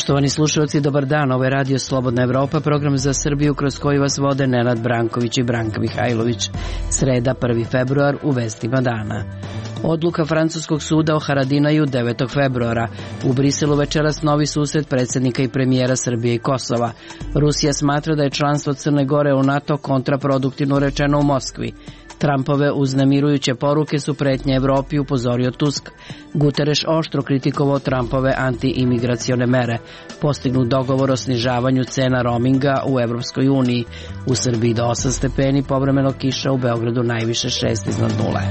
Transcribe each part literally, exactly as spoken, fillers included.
Poštovani slušalci, dobar dan. Ovo je Radio Slobodna Evropa, program za Srbiju kroz koji vas vode Nenad Branković i Branka Mihajlović. Sreda, prvi februar, u vestima dana. Odluka francuskog suda o Haradinaju devetog februara. U Briselu večeras novi susret predsjednika i premijera Srbije i Kosova. Rusija smatra da je članstvo Crne Gore u NATO kontraproduktivno rečeno u Moskvi. Trumpove uznemirujuće poruke su pretnje Evropi, upozorio Tusk. Guterres oštro kritikovao Trumpove anti-imigracione mere. Postignut dogovor o snižavanju cena roaminga u Evropskoj uniji. U Srbiji do osam stepeni, povremeno kiša, u Beogradu najviše šest iznad nule.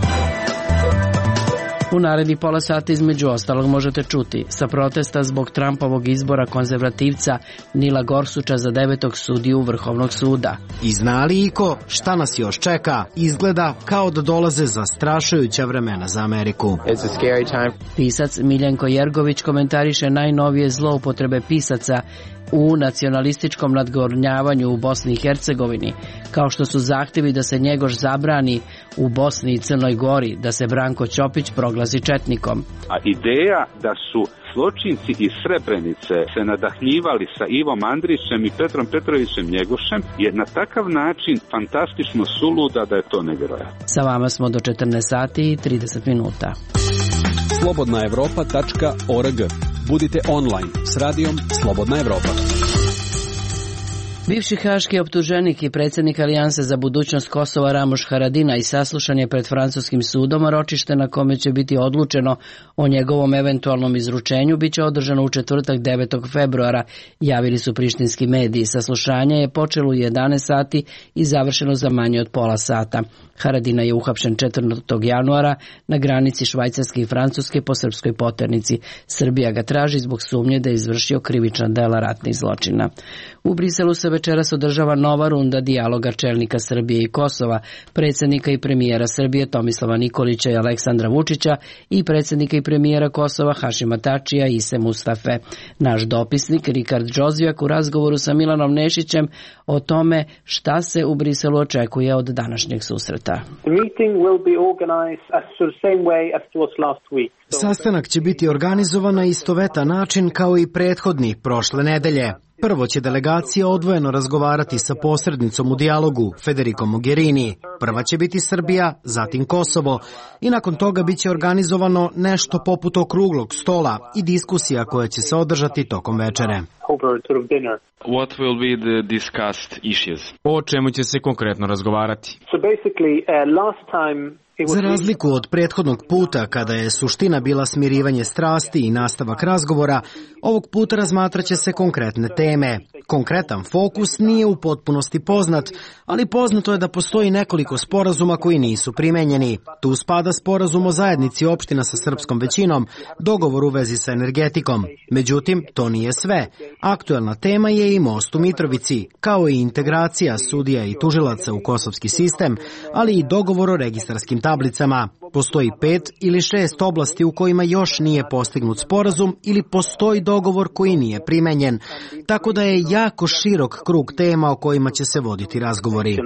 U naredni pola sata između ostalog možete čuti: sa protesta zbog Trumpovog izbora konzervativca Nila Gorsuča za devetog sudiju Vrhovnog suda. I zna li iko šta nas još čeka? Izgleda kao da dolaze zastrašujuća vremena za Ameriku. Pisac Miljenko Jergović komentariše najnovije zloupotrebe pisaca u nacionalističkom nadgornjavanju u Bosni i Hercegovini, kao što su zahtjevi da se Njegoš zabrani u Bosni i Crnoj Gori, da se Branko Ćopić proglasi četnikom. A ideja da su zločinci iz Srebrenice se nadahljivali sa Ivom Andrićem i Petrom Petrovićem Njegošem je na takav način fantastično suluda da je to nevjerojatno. Sa vama smo do četrnaest sati i trideset minuta. slobodna evropa tačka org. Budite online s radijom Slobodna Evropa. Bivši haški optuženik i predsjednik Alijanse za budućnost Kosova Ramuš Haradinaj saslušan je pred francuskim sudom, a ročište na kome će biti odlučeno o njegovom eventualnom izručenju biće održano u četvrtak devetog februara, javili su prištinski mediji. Saslušanje je počelo u jedanaest sati i završeno za manje od pola sata. Haradinaj je uhapšen četvrtog januara na granici Švajcarske i Francuske po srpskoj poternici. Srbija ga traži zbog sumnje da je izvršio krivična dela ratnih zločina. U Briselu se večeras održava nova runda dijaloga čelnika Srbije i Kosova, predsjednika i premijera Srbije Tomislava Nikolića i Aleksandra Vučića i predsjednika i premijera Kosova Hašima Tačija i Ise Mustafe. Naš dopisnik Rikard Džozijak u razgovoru sa Milanom Nešićem o tome šta se u Briselu očekuje od današnjeg susreta. Sastanak će biti organizovan na istovetan način kao i prethodni prošle nedelje. Prvo će delegacija odvojeno razgovarati sa posrednicom u dijalogu, Federico Mogherini. Prva će biti Srbija, zatim Kosovo i nakon toga biće organizovano nešto poput okruglog stola i diskusija koja će se održati tokom večere. What will be the discussed issues? O čemu će se konkretno razgovarati? So basically, uh, last time Za razliku od prethodnog puta, kada je suština bila smirivanje strasti i nastavak razgovora, ovog puta razmatraće se konkretne teme. Konkretan fokus nije u potpunosti poznat, ali poznato je da postoji nekoliko sporazuma koji nisu primenjeni. Tu spada sporazum o zajednici opština sa srpskom većinom, dogovor u vezi sa energetikom. Međutim, to nije sve. Aktuelna tema je i most u Mitrovici, kao i integracija sudija i tužilaca u kosovski sistem, ali i dogovor o registarskim tablicama. Postoji pet ili šest oblasti u kojima još nije postignut sporazum ili postoji dogovor koji nije primenjen, tako da je jako širok krug tema o kojima će se voditi razgovori.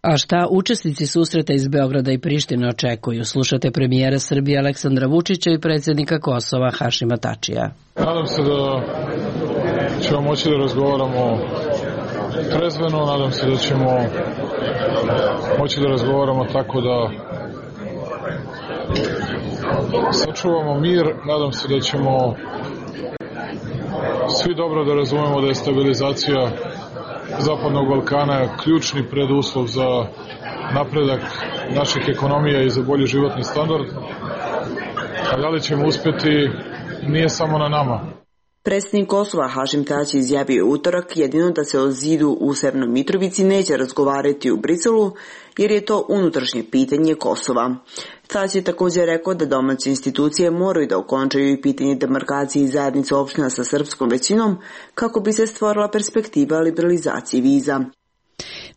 A šta učesnici susreta iz Beograda i Prištine očekuju? Slušate premijera Srbije Aleksandra Vučića i predsjednika Kosova Hašima Tačija. Nadam se da ćemo moći da razgovaramo trezveno, nadam se da ćemo moći da razgovaramo tako da sačuvamo mir, nadam se da ćemo svi dobro da razumemo da je stabilizacija Zapadnog Balkana ključni preduslov za napredak naših ekonomija i za bolji životni standard. A da li ćemo uspjeti, nije samo na nama. Predsjednik Kosova Hašim Tači izjavio utorak jedino da se o zidu u Severnoj Mitrovici neće razgovarati u Briselu, jer je to unutrašnje pitanje Kosova. Tači je također rekao da domaće institucije moraju da okončaju i pitanje demarkacije zajednice opština sa srpskom većinom kako bi se stvorila perspektiva liberalizacije viza.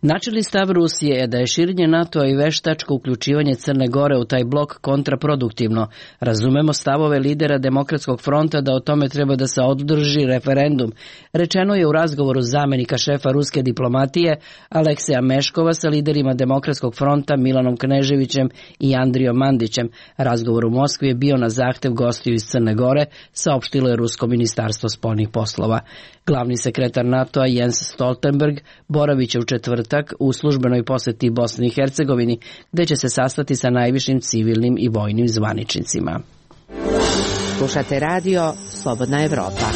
Načelni stav Rusije je da je širenje NATO-a i veštačko uključivanje Crne Gore u taj blok kontraproduktivno. Razumemo stavove lidera Demokratskog fronta da o tome treba da se održi referendum. Rečeno je u razgovoru zamenika šefa ruske diplomatije Alekseja Meškova sa liderima Demokratskog fronta Milanom Kneževićem i Andrijom Mandićem. Razgovor u Moskvi je bio na zahtev gostiju iz Crne Gore, saopštilo je Rusko ministarstvo spoljnih poslova. Glavni sekretar NATO-a Jens Stoltenberg boravit će u četvrtak u službenoj poseti Bosni i Hercegovini, gde će se sastati sa najvišim civilnim i vojnim zvaničnicima. Slušate radio Slobodna Evropa.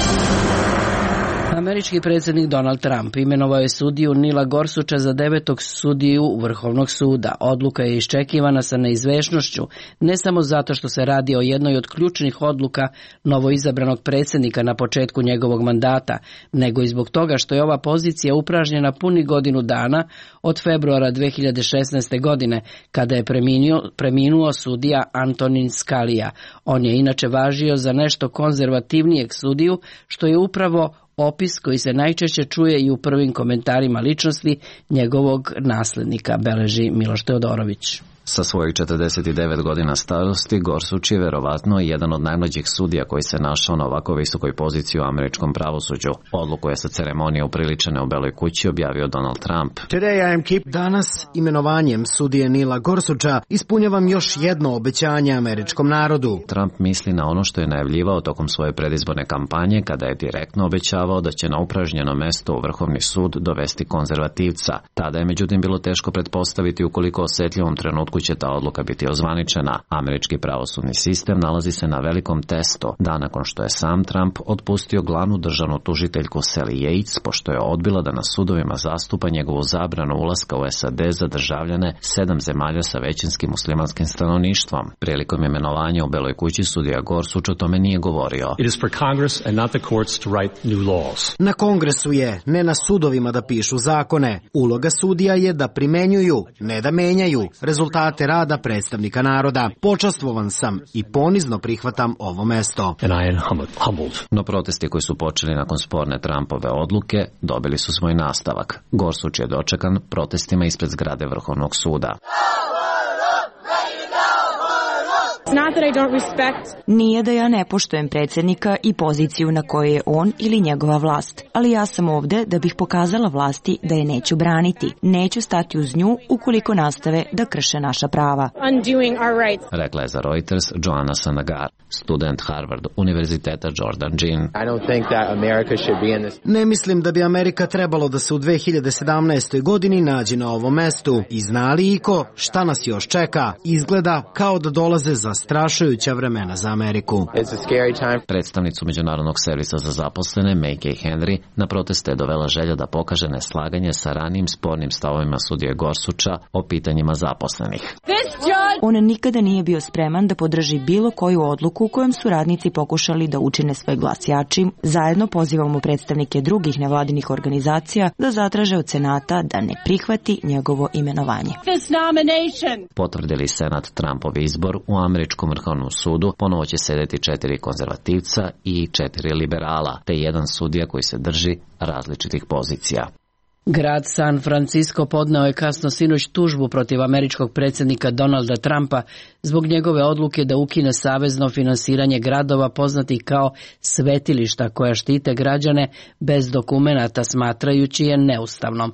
Američki predsjednik Donald Trump imenovao je sudiju Nila Gorsucha za devetog sudiju Vrhovnog suda. Odluka je iščekivana sa neizvešnošću, ne samo zato što se radi o jednoj od ključnih odluka novoizabranog predsjednika na početku njegovog mandata, nego i zbog toga što je ova pozicija upražnjena puni godinu dana od februara dve hiljade šesnaeste. godine, kada je preminuo, preminuo sudija Antonin Scalia. On je inače važio za nešto konzervativnijeg sudiju, što je upravo opis koji se najčešće čuje i u prvim komentarima ličnosti njegovog naslednika, beleži Miloš Teodorović. Sa svojih četrdeset devet godina starosti, Gorsuch je verovatno jedan od najmlađih sudija koji se našao na ovako visokoj poziciji u američkom pravosuđu. Odluku je sa ceremonije upriličene u Beloj kući objavio Donald Trump. Danas imenovanjem sudije Nila Gorsucha ispunjavam još jedno obećanje američkom narodu. Trump misli na ono što je najavljivao tokom svoje predizborne kampanje, kada je direktno obećavao da će na upražnjeno mesto u Vrhovni sud dovesti konzervativca. Tada je međutim bilo teško pretpostaviti u koliko osetljivom trenutku će ta odluka biti ozvaničena. Američki pravosudni sistem nalazi se na velikom testu, dan nakon što je sam Trump otpustio glavnu državnu tužiteljku Sally Yates, pošto je odbila da na sudovima zastupa njegovu zabranu ulaska u S A D za državljane sedam zemalja sa većinskim muslimanskim stanovništvom. Prilikom imenovanja u Beloj kući sudija Gorsuch o tome nije govorio. Na Kongresu je, ne na sudovima da pišu zakone. Uloga sudija je da primenjuju, ne da menjaju rezultate rada predstavnika naroda. Počastvovan sam i ponizno prihvatam ovo mesto. No protesti koji su počeli nakon sporne Trumpove odluke dobili su svoj nastavak. Gorsuch je dočekan protestima ispred zgrade Vrhovnog suda. Nije da ja ne poštujem predsjednika i poziciju na kojoj je on ili njegova vlast, ali ja sam ovde da bih pokazala vlasti da je neću braniti. Neću stati uz nju ukoliko nastave da krše naša prava. Rekla je za Reuters Joanna Sanagar, student Harvard univerziteta Jordan Jean. Ne mislim da bi Amerika trebalo da se u dve hiljade sedamnaestoj. godini nađe na ovom mestu. I zna li iko šta nas još čeka? Izgleda kao da dolaze za strašujuća vremena za Ameriku. Predstavnicu Međunarodnog servisa za zaposlene Mackay Henry na proteste je dovela želja da pokaže neslaganje sa ranijim spornim stavovima sudije Gorsucha o pitanjima zaposlenih. On nikada nije bio spreman da podrži bilo koju odluku kojom su radnici pokušali da učine svoj glas jačim. Zajedno pozivamo predstavnike drugih nevladinih organizacija da zatraže od Senata da ne prihvati njegovo imenovanje. Potvrdili Senat Trumpov izbor, u američkom Vrhovnom sudu ponovo će sedeti četiri konzervativca i četiri liberala, te jedan sudija koji se drži različitih pozicija. Grad San Francisco podneo je kasno sinoć tužbu protiv američkog predsjednika Donalda Trumpa zbog njegove odluke da ukine savezno finansiranje gradova poznatih kao svetilišta koja štite građane bez dokumenata, smatrajući je neustavnom.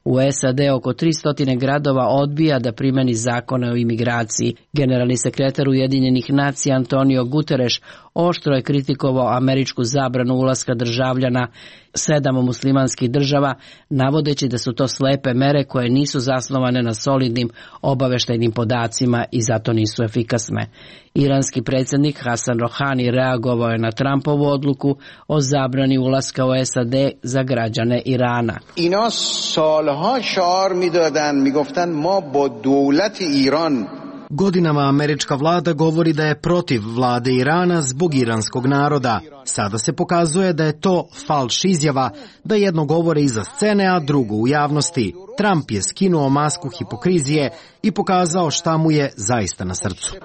U S A D oko tristo gradova odbija da primeni zakone o imigraciji. Generalni sekretar Ujedinjenih nacija Antonio Guterres oštro je kritikovao američku zabranu ulaska državljana sedam muslimanskih država, navodeći da su to slepe mere koje nisu zasnovane na solidnim obaveštajnim podacima i zato nisu efikasne. Iranski predsjednik Hasan Rohani reagovao je na Trumpovu odluku o zabrani ulaska u S A D za građane Irana. Ina salha šar midadan, migoftan ma ba dawlat Iran. Godinama američka vlada govori da je protiv vlade Irana zbog iranskog naroda. Sada se pokazuje da je to falš izjava, da jedno govore iza scene, a drugo u javnosti. Trump je skinuo masku hipokrizije i pokazao šta mu je zaista na srcu.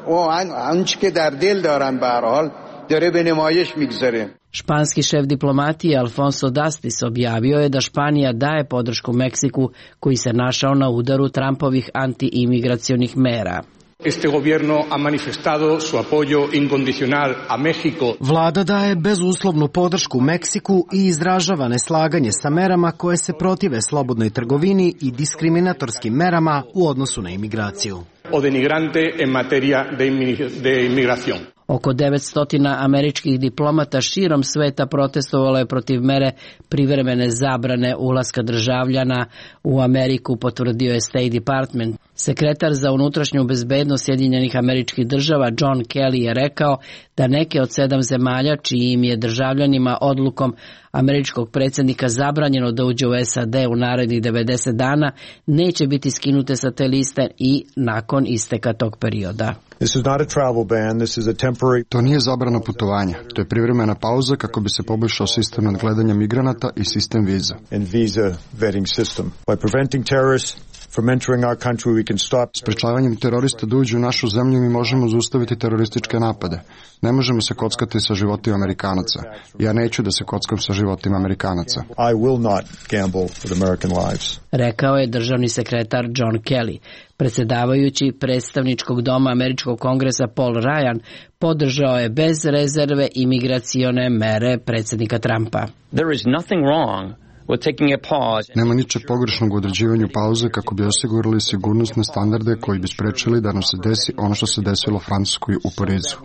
dare be nemayish migzare. Španski šef diplomatije Alfonso Dastis objavio je da Španija daje podršku Meksiku koji se našao na udaru Trumpovih antiimigracionih mera. Este gobierno ha manifestado su apoyo incondicional a México. Vlada daje bezuslovnu podršku Meksiku i izražava neslaganje sa merama koje se protive slobodnoj trgovini i diskriminatorskim merama u odnosu na imigraciju. O denigrante en materia de inmigración. Oko devetsto američkih diplomata širom sveta protestovalo je protiv mere privremene zabrane ulaska državljana u Ameriku, potvrdio je State Department. Sekretar za unutrašnju bezbednost Sjedinjenih Američkih Država John Kelly je rekao da neke od sedam zemalja čijim je državljanima odlukom američkog predsjednika zabranjeno da uđe u S A D u narednih devedeset dana neće biti skinute sa te liste i nakon isteka tog perioda. To nije zabrana putovanja, to je privremena pauza kako bi se poboljšao sistem nadgledanja migranata i sistem viza. Sprečavanjem terorista da uđu u našu zemlju mi možemo zaustaviti terorističke napade. Ne možemo se kockati sa životima Amerikanaca. Ja neću da se kockam sa životima Amerikanaca. Rekao je državni sekretar John Kelly. Predsjedavajući predstavničkog doma Američkog kongresa Paul Ryan podržao je bez rezerve imigracione mere predsjednika Trumpa. There is nothing wrong Nema ničeg pogrešnog u određivanju pauze kako bi osigurali sigurnosne standarde koji bi sprečili da nam se desi ono što se desilo Francuskoj u Parizu.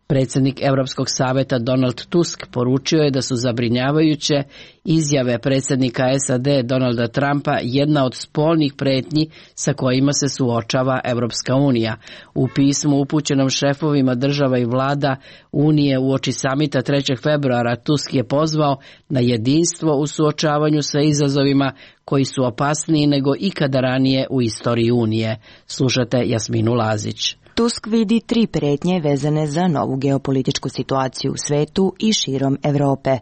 Predsjednik Europskog saveta Donald Tusk poručio je da su zabrinjavajuće izjave predsjednika S A D Donalda Trumpa jedna od spoljnih pretnji sa kojima se suočava Europska unija. U pismu upućenom šefovima država i vlada Unije uoči samita trećeg februara Tusk je pozvao na jedinstvo u suočavanju sa izazovima koji su opasniji nego ikada ranije u istoriji Unije. Slušate Jasminu Lazić. Tusk vidi tri pretnje vezane za novu geopolitičku situaciju u svetu i širom Evrope.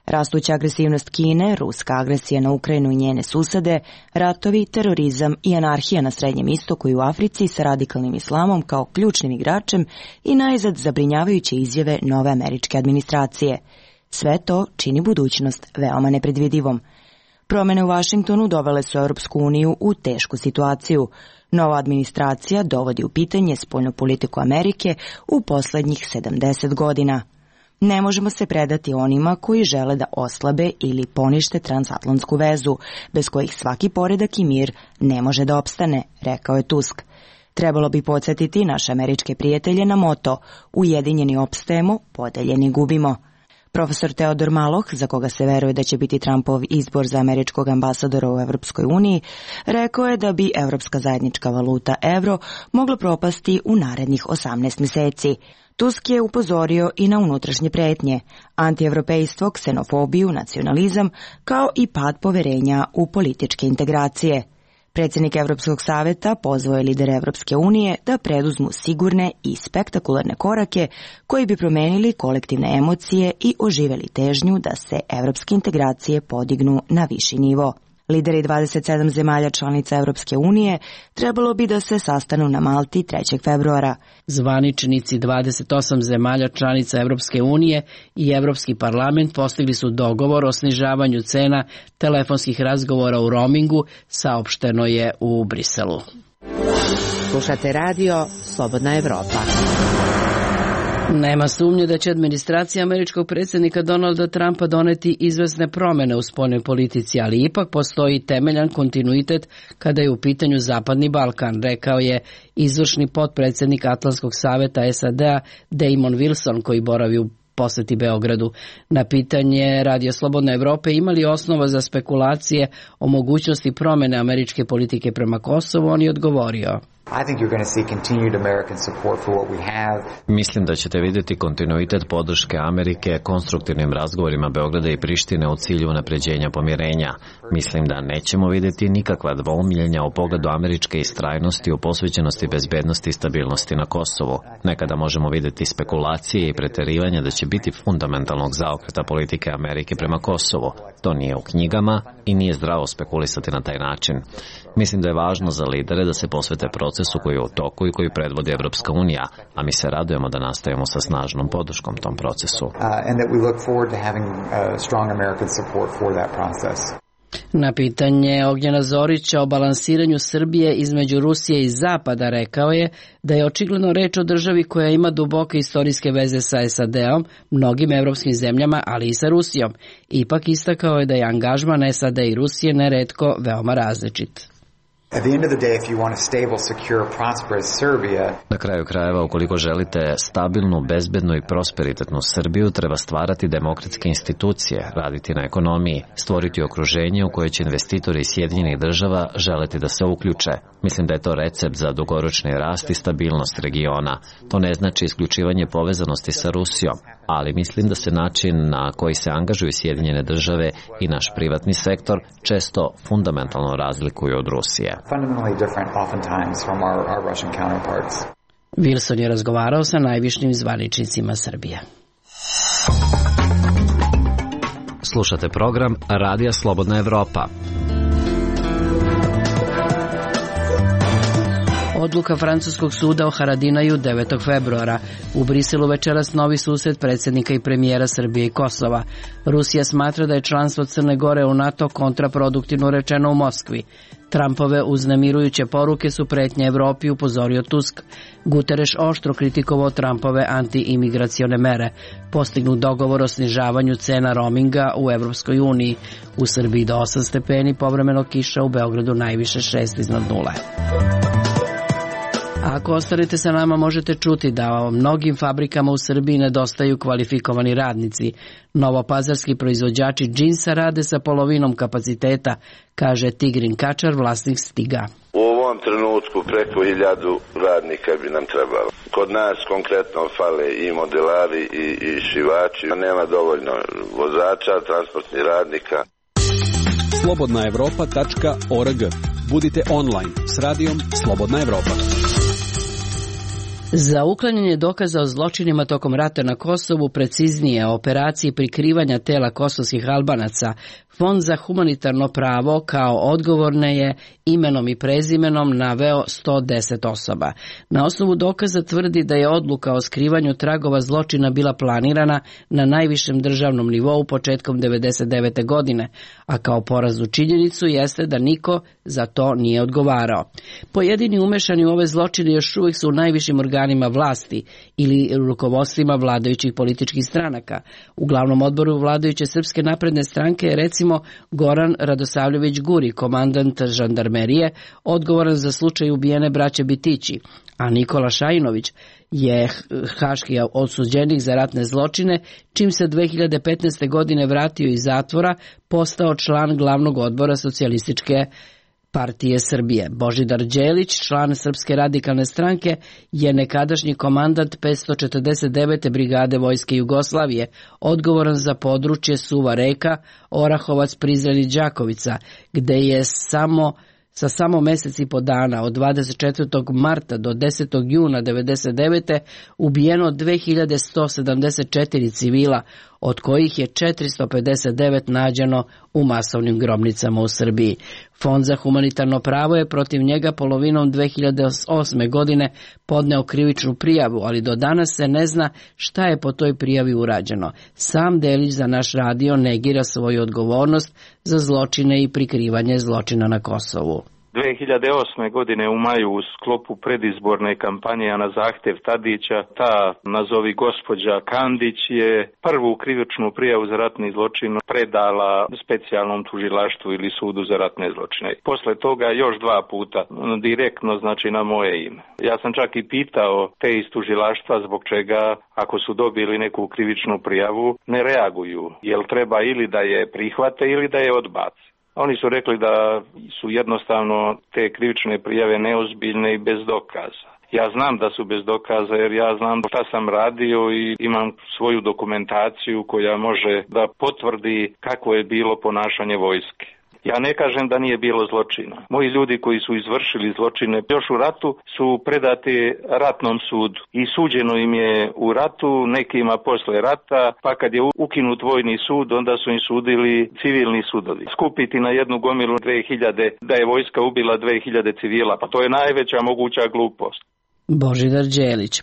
Rastuća agresivnost Kine, ruska agresija na Ukrajinu i njene susede, ratovi, terorizam i anarhija na Srednjem istoku i u Africi sa radikalnim islamom kao ključnim igračem i najzad zabrinjavajuće izjave nove američke administracije. Sve to čini budućnost veoma nepredvidivom. Promene u Vašingtonu dovele su Europsku uniju u tešku situaciju. Nova administracija dovodi u pitanje spoljnu politiku Amerike u posljednjih sedamdeset godina. Ne možemo se predati onima koji žele da oslabe ili ponište transatlantsku vezu, bez kojih svaki poredak i mir ne može da opstane, rekao je Tusk. Trebalo bi podsjetiti naše američke prijatelje na moto ujedinjeni opstajemo, podeljeni gubimo. Profesor Teodor Maloh, za koga se veruje da će biti Trumpov izbor za američkog ambasadora u Evropskoj uniji, rekao je da bi evropska zajednička valuta evro mogla propasti u narednih osamnaest mjeseci. Tusk je upozorio i na unutrašnje pretnje, antievropejstvo, ksenofobiju, nacionalizam, kao i pad poverenja u političke integracije. Predsjednik Europskog saveta pozvao je lidere Evropske unije da preduzmu sigurne i spektakularne korake koji bi promenili kolektivne emocije i oživeli težnju da se evropske integracije podignu na viši nivo. Lideri dvadeset sedam zemalja članica Evropske unije trebalo bi da se sastanu na Malti trećeg februara. Zvaničnici dvadeset osam zemalja članica Evropske unije i Evropski parlament postigli su dogovor o snižavanju cena telefonskih razgovora u roamingu, saopšteno je u Briselu. Slušate radio Slobodna Evropa. Nema sumnje da će administracija američkog predsjednika Donalda Trumpa doneti izvesne promjene u spoljnoj politici, ali ipak postoji temeljan kontinuitet kada je u pitanju Zapadni Balkan, rekao je izvršni potpredsjednik Atlantskog saveta S A D-a Damon Wilson, koji boravi u posjeti Beogradu. Na pitanje Radio Slobodne Evrope ima li osnova za spekulacije o mogućnosti promjene američke politike prema Kosovu, on je odgovorio. Mislim da ćete vidjeti kontinuitet podrške Amerike konstruktivnim razgovorima Beograda i Prištine u cilju unapređenja pomirenja. Mislim da nećemo vidjeti nikakva dvoumiljenja u pogledu američke istrajnosti u posvećenosti bezbednosti i stabilnosti na Kosovu. Nekada možemo vidjeti spekulacije i preterivanja da će biti fundamentalnog zaokreta politike Amerike prema Kosovu. To nije u knjigama, i nije zdravo spekulisati na taj način. Mislim da je važno za lidere da se posvete procesu koji je u toku i koji predvodi Evropska unija, a mi se radujemo da nastavimo sa snažnom podrškom tom procesu. Na pitanje Ognjena Zorića o balansiranju Srbije između Rusije i Zapada rekao je da je očigledno reč o državi koja ima duboke istorijske veze sa S A D-om, mnogim evropskim zemljama, ali i sa Rusijom. Ipak istakao je da je angažman S A D i Rusije neretko veoma različit. Na kraju krajeva, ukoliko želite stabilnu, bezbednu i prosperitetnu Srbiju, treba stvarati demokratske institucije, raditi na ekonomiji, stvoriti okruženje u koje će investitori iz Sjedinjenih država želeti da se uključe. Mislim da je to recept za dugoročni rast i stabilnost regiona. To ne znači isključivanje povezanosti sa Rusijom, ali mislim da se način na koji se angažuju Sjedinjene države i naš privatni sektor često fundamentalno razlikuju od Rusije. Wilson je razgovarao sa najvišim zvaničnicima Srbije. Slušate program Radija Slobodna Evropa. Odluka francuskog suda o Haradinaju devetog februara. U Briselu večeras novi susret predsjednika i premijera Srbije i Kosova. Rusija smatra da je članstvo Crne Gore u NATO kontraproduktivno rečeno u Moskvi. Trumpove uznemirujuće poruke su pretnje Evropi, upozorio Tusk. Guterres oštro kritikovao Trumpove anti-imigracione mere. Postignut dogovor o snižavanju cena roaminga u Evropskoj uniji. U Srbiji do osam stepeni, povremeno kiša, u Beogradu najviše šest iznad nule. Ako ostanete sa nama, možete čuti da mnogim fabrikama u Srbiji nedostaju kvalifikovani radnici. Novopazarski proizvođači džinsa rade sa polovinom kapaciteta, kaže Tigrin Kačar, vlasnik Stiga. U ovom trenutku preko hiljadu radnika bi nam trebalo. Kod nas konkretno fale i modelari i, i šivači, nema dovoljno vozača, transportnih radnika. slobodna evropa tačka org. Budite online s radijom Slobodna Evropa. Za uklanjanje dokaza o zločinima tokom rata na Kosovu, preciznije o operaciji prikrivanja tela kosovskih Albanaca, Fond za humanitarno pravo kao odgovorne je imenom i prezimenom naveo sto deset osoba. Na osnovu dokaza tvrdi da je odluka o skrivanju tragova zločina bila planirana na najvišem državnom nivou početkom devedeset devete godine, a kao poraznu činjenicu jeste da niko za to nije odgovarao. Pojedini umešani u ove zločine još uvijek su u najvišim organima vlasti ili rukovodstvima vladajućih političkih stranaka. U glavnom odboru vladajuće Srpske napredne stranke je recimo Goran Radosavljević Guri, komandant žandarmerije, odgovoran za slučaj ubijene braće Bitići, a Nikola Šajinović je haški odsuđenik za ratne zločine, čim se dve hiljade petnaeste. godine vratio iz zatvora, postao član glavnog odbora Socijalističke partije Srbije. Božidar Đelić, član Srpske radikalne stranke, je nekadašnji komandant petsto četrdeset devete brigade Vojske Jugoslavije, odgovoran za područje Suva Reka, Orahovac, Prizren i Đakovica, gde je samo sa samo mesec i po dana od dvadeset četvrtog marta do desetog juna devedeset devete ubijeno dve hiljade sto sedamdeset četiri civila, od kojih je četiristo pedeset devet nađeno u masovnim grobnicama u Srbiji. Fond za humanitarno pravo je protiv njega polovinom dve hiljade osme. godine podneo krivičnu prijavu, ali do danas se ne zna šta je po toj prijavi urađeno. Sam Delić za naš radio negira svoju odgovornost za zločine i prikrivanje zločina na Kosovu. dve hiljade osme. godine u maju u sklopu predizborne kampanje, a na zahtjev Tadića, ta nazovi gospođa Kandić je prvu krivičnu prijavu za ratni zločin predala specijalnom tužilaštvu ili sudu za ratne zločine. Posle toga još dva puta direktno, znači na moje ime. Ja sam čak i pitao te iz tužilaštva zbog čega, ako su dobili neku krivičnu prijavu, ne reaguju. Jel treba ili da je prihvate ili da je odbace. Oni su rekli da su jednostavno te krivične prijave neozbiljne i bez dokaza. Ja znam da su bez dokaza jer ja znam šta sam radio i imam svoju dokumentaciju koja može da potvrdi kako je bilo ponašanje vojske. Ja ne kažem da nije bilo zločina. Moji ljudi koji su izvršili zločine još u ratu su predati ratnom sudu i suđeno im je u ratu, nekima posle rata, pa kad je ukinut vojni sud, onda su im sudili civilni sudovi. Skupiti na jednu gomilu dve hiljade da je vojska ubila dve hiljade civila, pa to je najveća moguća glupost. Božidar Đelić.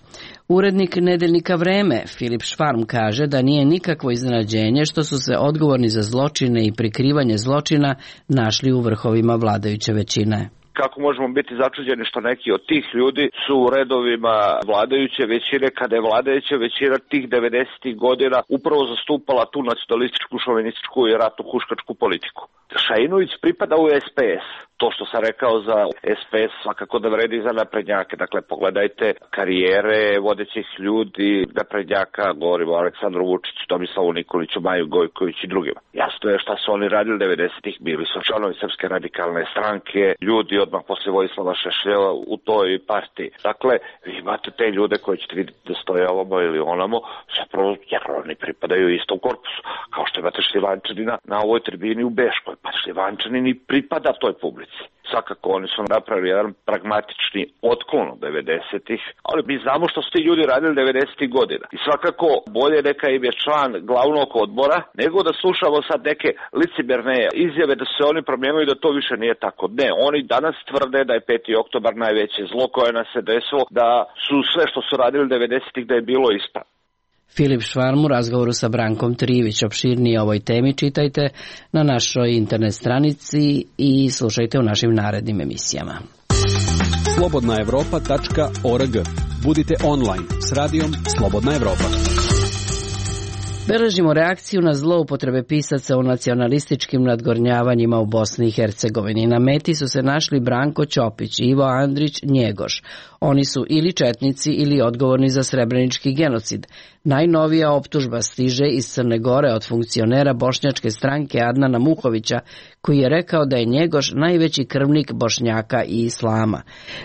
Urednik nedeljnika Vreme, Filip Švarm, kaže da nije nikakvo iznenađenje što su se odgovorni za zločine i prikrivanje zločina našli u vrhovima vladajuće većine. Kako možemo biti začuđeni što neki od tih ljudi su u redovima vladajuće većine, kada je vladajuća većina tih devedesetih godina upravo zastupala tu nacionalističku, šovinističku i ratnu huškačku politiku. Šainović pripada u es pe es. To što sam rekao za es pe es svakako da vredi za naprednjake. Dakle, pogledajte karijere vodećih ljudi naprednjaka, govorimo o Aleksandru Vučiću, Tomislavu Nikoliću, Maju Gojković i drugima. Jasno je šta su oni radili devedesetih, bili su članovi Srpske radikalne stranke, ljudi odmah posle Vojislava Šešeljeva u toj partiji. Dakle, vi imate te ljude koji ćete vidjeti da stoje ovamo ili onamo, zapravo jer oni pripadaju istom korpusu, kao što imate Šljivančanina na ovoj tribini u Beškoj, pa Šljivančanin i pripada toj publici. Svakako oni su napravili jedan pragmatični otklon od devedesetih, ali mi znamo što su ti ljudi radili devedesetih godina. I svakako bolje neka im je član glavnog odbora, nego da slušamo sad neke licemerne izjave da se oni promijenili da to više nije tako. Ne, oni danas tvrde da je peti oktobar najveće zlo koje nas se desilo, da su sve što su radili devedesetih da je bilo ispravno. Filip Švarm u razgovoru sa Brankom Trivić. Opširnije o ovoj temi čitajte na našoj internet stranici i slušajte u našim narednim emisijama. slobodna evropa tačka org. Budite online s radijom Slobodna Evropa. Beležimo reakciju na zloupotrebe pisaca u nacionalističkim nadgornjavanjima u Bosni i Hercegovini. Na meti su se našli Branko Ćopić i Ivo Andrić Njegoš. Oni su ili četnici ili odgovorni za srebrenički genocid. Najnovija optužba stiže iz Crne Gore od funkcionera bošnjačke stranke Adnana Muhovića, koji je rekao da je Njegoš najveći krvnik Bošnjaka i Islama.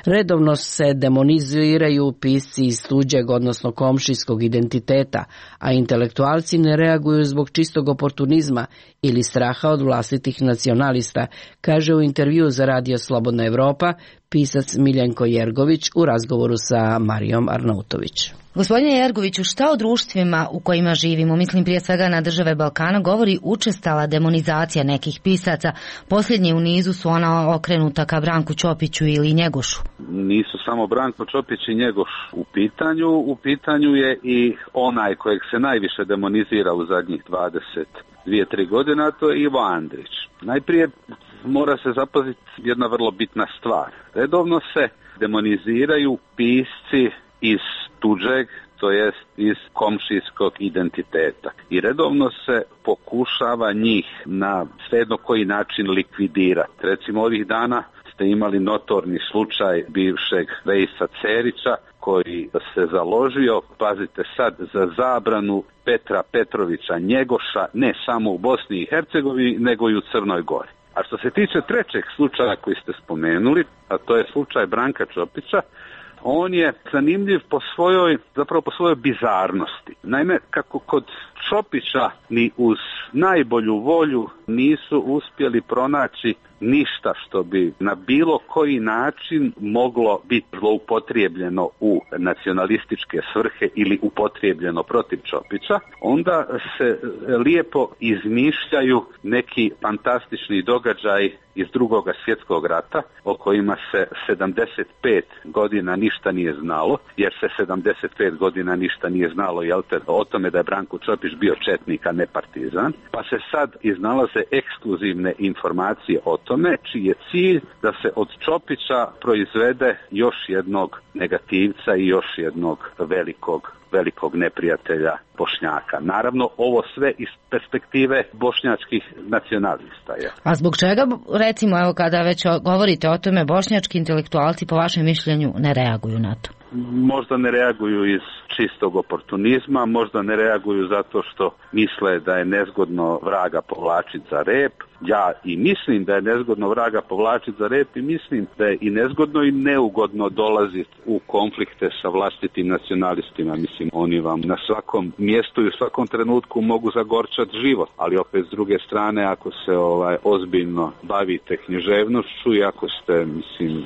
Redovno se demoniziraju pisci iz tuđeg, odnosno komšijskog identiteta, a intelektualci ne reaguju zbog čistog oportunizma ili straha od vlastitih nacionalista, kaže u intervju za Radio Slobodna Evropa pisac Miljenko Jergović u razgovoru sa Marijom Arnautović. Gospodine Jergoviću, šta o društvima u kojima živimo, mislim prije svega na države Balkana, govori učestala demonizacija nekih pisaca? Posljednje u nizu su ona okrenuta ka Branku Ćopiću ili Njegošu. Nisu samo Branko Ćopić i Njegoš u pitanju, u pitanju je i onaj kojeg se najviše demonizira u zadnjih dvadeset dvije tri godina, to je Ivo Andrić. Najprije mora se zapaziti jedna vrlo bitna stvar. Redovno se demoniziraju pisci iz tuđeg, to jest iz komšijskog identiteta. I redovno se pokušava njih na svejedno koji način likvidirati. Recimo ovih dana ste imali notorni slučaj bivšeg Vejsa Cerića koji se založio, pazite sad, za zabranu Petra Petrovića Njegoša ne samo u Bosni i Hercegovini nego i u Crnoj Gori. A što se tiče trećeg slučaja koji ste spomenuli, a to je slučaj Branka Ćopića, on je zanimljiv po svojoj, zapravo po svojoj bizarnosti. Naime, kako kod Ćopića ni uz najbolju volju nisu uspjeli pronaći ništa što bi na bilo koji način moglo biti zloupotrijebljeno u nacionalističke svrhe ili upotrijebljeno protiv Ćopića, onda se lijepo izmišljaju neki fantastični događaj iz Drugog svjetskog rata o kojima se sedamdeset pet godina ništa nije znalo, jer se sedamdeset pet godina ništa nije znalo jel te, o tome da je Branko Ćopić bio četnik, a ne partizan, pa se sad iznalaze ekskluzivne informacije o tome, čiji je cilj da se od Ćopića proizvede još jednog negativca i još jednog velikog velikog neprijatelja Bošnjaka. Naravno, ovo sve iz perspektive bošnjačkih nacionalista. Je. A zbog čega, recimo, evo kada već govorite o tome, bošnjački intelektualci po vašem mišljenju ne reaguju na to? možda ne reaguju iz čistog oportunizma, možda ne reaguju zato što misle da je nezgodno vraga povlačiti za rep. Ja i mislim da je nezgodno vraga povlačiti za rep i mislim da je i nezgodno i neugodno dolaziti u konflikte sa vlastitim nacionalistima. Mislim, oni vam na svakom mjestu i u svakom trenutku mogu zagorčati život, ali opet s druge strane, ako se ovaj ozbiljno bavite književnošću i ako ste, mislim,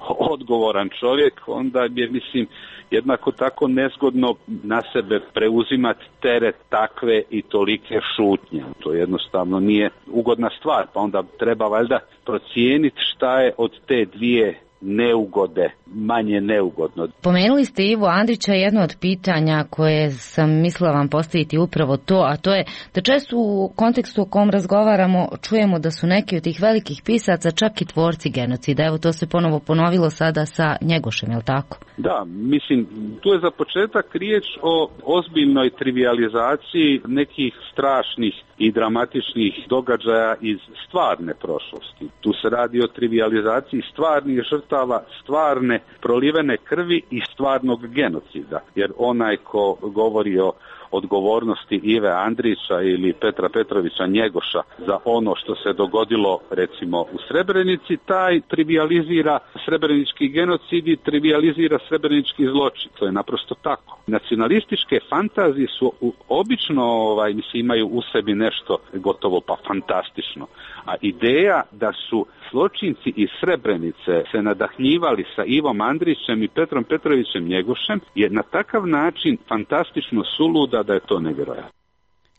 odgovoran čovjek, onda je, mislim, jednako tako nezgodno na sebe preuzimati teret takve i tolike šutnje. To jednostavno nije ugodna stvar, pa onda treba valjda procijeniti šta je od te dvije neugode, manje neugodno. Pomenuli ste Ivu Andrića, jedno od pitanja koje sam mislila vam postaviti upravo to, a to je da često u kontekstu o kom razgovaramo čujemo da su neki od tih velikih pisaca čak i tvorci genocida. Evo, to se ponovo ponovilo sada sa Njegošem, je li tako? Da, mislim, tu je za početak riječ o ozbiljnoj trivijalizaciji nekih strašnih i dramatičnih događaja iz stvarne prošlosti. Tu se radi o trivijalizaciji stvarnih žrtava, stvarne prolivene krvi i stvarnog genocida. Jer onaj ko govori o odgovornosti Ive Andrića ili Petra Petrovića Njegoša za ono što se dogodilo recimo u Srebrenici, taj trivijalizira srebrenički genocid i trivijalizira srebrenički zločin. To je naprosto tako. Nacionalističke fantazije su obično, ovaj, mislim, imaju u sebi nešto gotovo pa fantastično. A ideja da su zločinci iz Srebrenice se nadahnjivali sa Ivom Andrićem i Petrom Petrovićem Njegošem je na takav način fantastično suluda da je to nevjerojatno.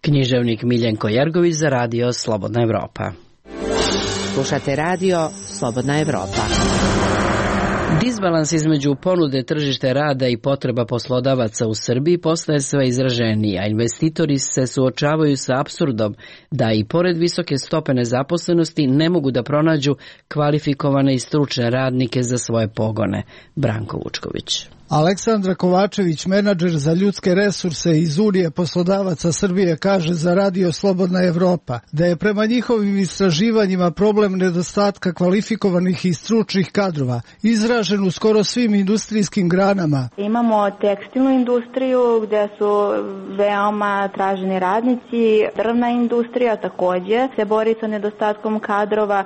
Književnik Miljenko Jergović za radio Slobodna Evropa. Slušate radio Slobodna Evropa. Disbalans između ponude tržište rada i potreba poslodavaca u Srbiji postaje sve izraženiji, a investitori se suočavaju sa apsurdom da i pored visoke stope nezaposlenosti ne mogu da pronađu kvalifikovane i stručne radnike za svoje pogone. Branko Vučković. Aleksandra Kovačević, menadžer za ljudske resurse iz Unije poslodavaca Srbije, kaže za radio Slobodna Evropa da je prema njihovim istraživanjima problem nedostatka kvalifikovanih i stručnih kadrova izražen u skoro svim industrijskim granama. Imamo tekstilnu industriju gdje su veoma traženi radnici, drvna industrija također se bori sa nedostatkom kadrova,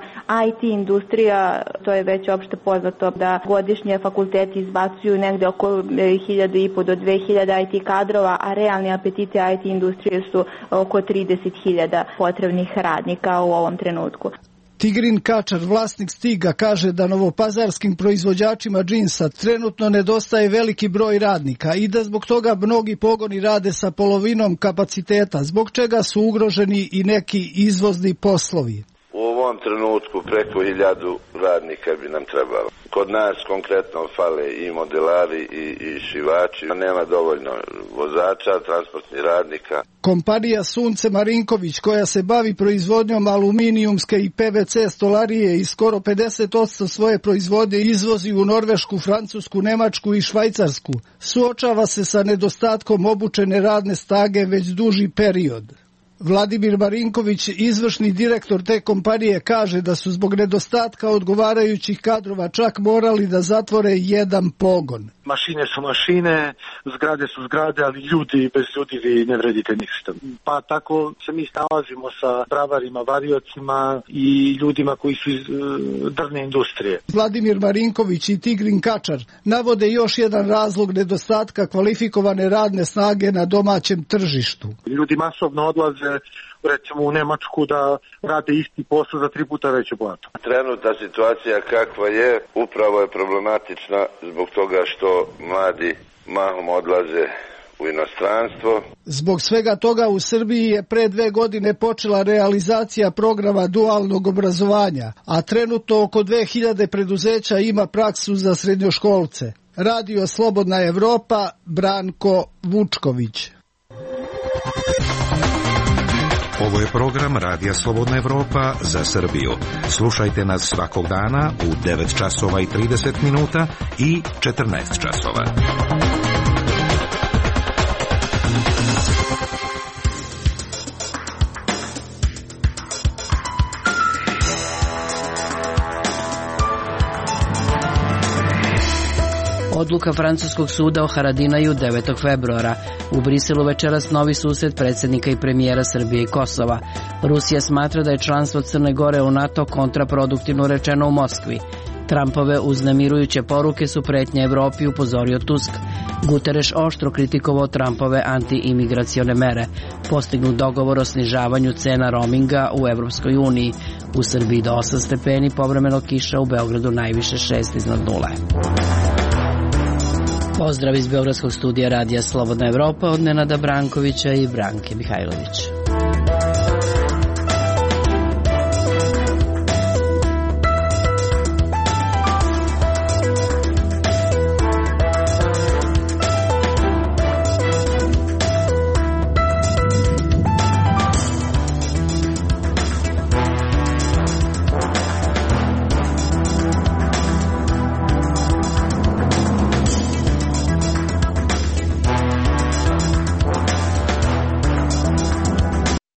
I T industrija, to je već opšte poznato da godišnje fakulteti izbacuju negdje oko hiljadu i po do dve hiljade I T kadrova, a realni apetiti I T industrije su oko trideset hiljada potrebnih radnika u ovom trenutku. Tigrin Kačar, vlasnik Stiga, kaže da novopazarskim proizvođačima džinsa trenutno nedostaje veliki broj radnika i da zbog toga mnogi pogoni rade sa polovinom kapaciteta, zbog čega su ugroženi i neki izvozni poslovi. U ovom trenutku preko hiljadu radnika bi nam trebalo. Kod nas konkretno fale i modelari i, i šivači, nema dovoljno vozača, transportnih radnika. Kompanija Sunce Marinković, koja se bavi proizvodnjom aluminijumske i P V C stolarije i skoro pedeset posto svoje proizvodnje izvozi u Norvešku, Francusku, Nemačku i Švajcarsku, suočava se sa nedostatkom obučene radne snage već duži period. Vladimir Marinković, izvršni direktor te kompanije, kaže da su zbog nedostatka odgovarajućih kadrova čak morali da zatvore jedan pogon. Mašine su mašine, zgrade su zgrade, ali ljudi, bez ljudi vi ne vredite ništa. Pa tako se mi snalazimo sa bravarima, variocima i ljudima koji su iz uh, drvne industrije. Vladimir Marinković i Tigrin Kačar navode još jedan razlog nedostatka kvalifikovane radne snage na domaćem tržištu. Ljudi masovno odlaze recimo u Nemačku da rade isti posao za tri puta veću platu. Trenutna situacija kakva je upravo je problematična zbog toga što mladi mahom odlaze u inostranstvo. Zbog svega toga u Srbiji je pre dve godine počela realizacija programa dualnog obrazovanja, a trenutno oko dve hiljade preduzeća ima praksu za srednjoškolce. Radio Slobodna Evropa, Branko Vučković. Ovo je program Radija Slobodna Evropa za Srbiju. Slušajte nas svakog dana u devet časova i trideset minuta i četrnaest časova. Odluka francuskog suda o Haradinaju devetog februara. U Briselu večeras novi susret predsjednika i premijera Srbije i Kosova. Rusija smatra da je članstvo Crne Gore u NATO kontraproduktivno rečeno u Moskvi. Trumpove uznemirujuće poruke su pretnje Evropi, upozorio Tusk. Guterres oštro kritikovao Trumpove anti-imigracione mere. Postignut dogovor o snižavanju cena roaminga u Evropskoj uniji. U Srbiji do osam stepeni, povremeno kiša, u Beogradu najviše šest iznad nule. Pozdrav iz Beogradskog studija Radija Slobodna Evropa od Nenada Brankovića i Branke Mihajlović.